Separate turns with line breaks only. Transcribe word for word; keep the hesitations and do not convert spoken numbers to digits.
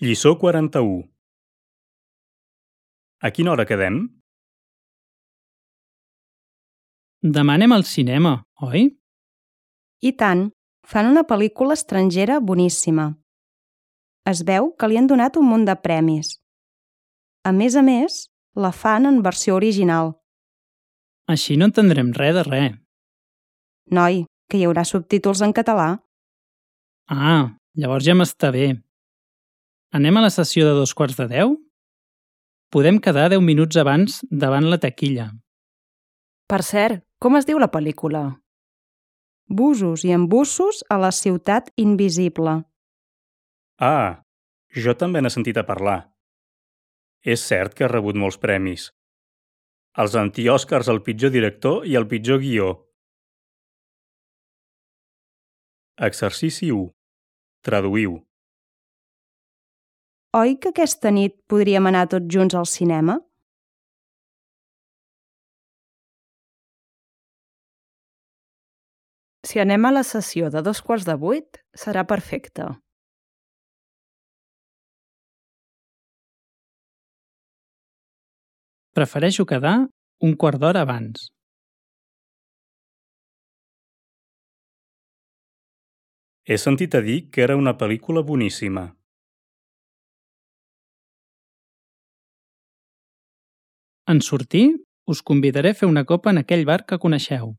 Lliçó quaranta-u. A quina hora quedem?
Demà anem al cinema, oi?
I tant, fan una pel·lícula estrangera boníssima. Es veu que li han donat un munt de premis. A més a més, la fan en versió original.
Així no entendrem res de res.
Noi, que hi haurà subtítols en català.
Ah, llavors ja m'està bé. Anem a la sessió de dos quarts de deu? Podem quedar deu minuts abans davant la taquilla.
Per cert, com es diu la pel·lícula?
Busos i embussos a la ciutat invisible.
Ah, jo també n'he sentit a parlar. És cert que ha rebut molts premis. Els anti-Òscars al pitjor director i al pitjor guió. Exercici u. Traduïu.
Oi que aquesta nit podríem anar tots junts al cinema?
Si anem a la sessió de dos quarts de vuit, serà perfecte.
Prefereixo quedar un quart d'hora abans.
He sentit a dir que era una pel·lícula boníssima.
En sortir, us convidaré a fer una copa en aquell bar que coneixeu.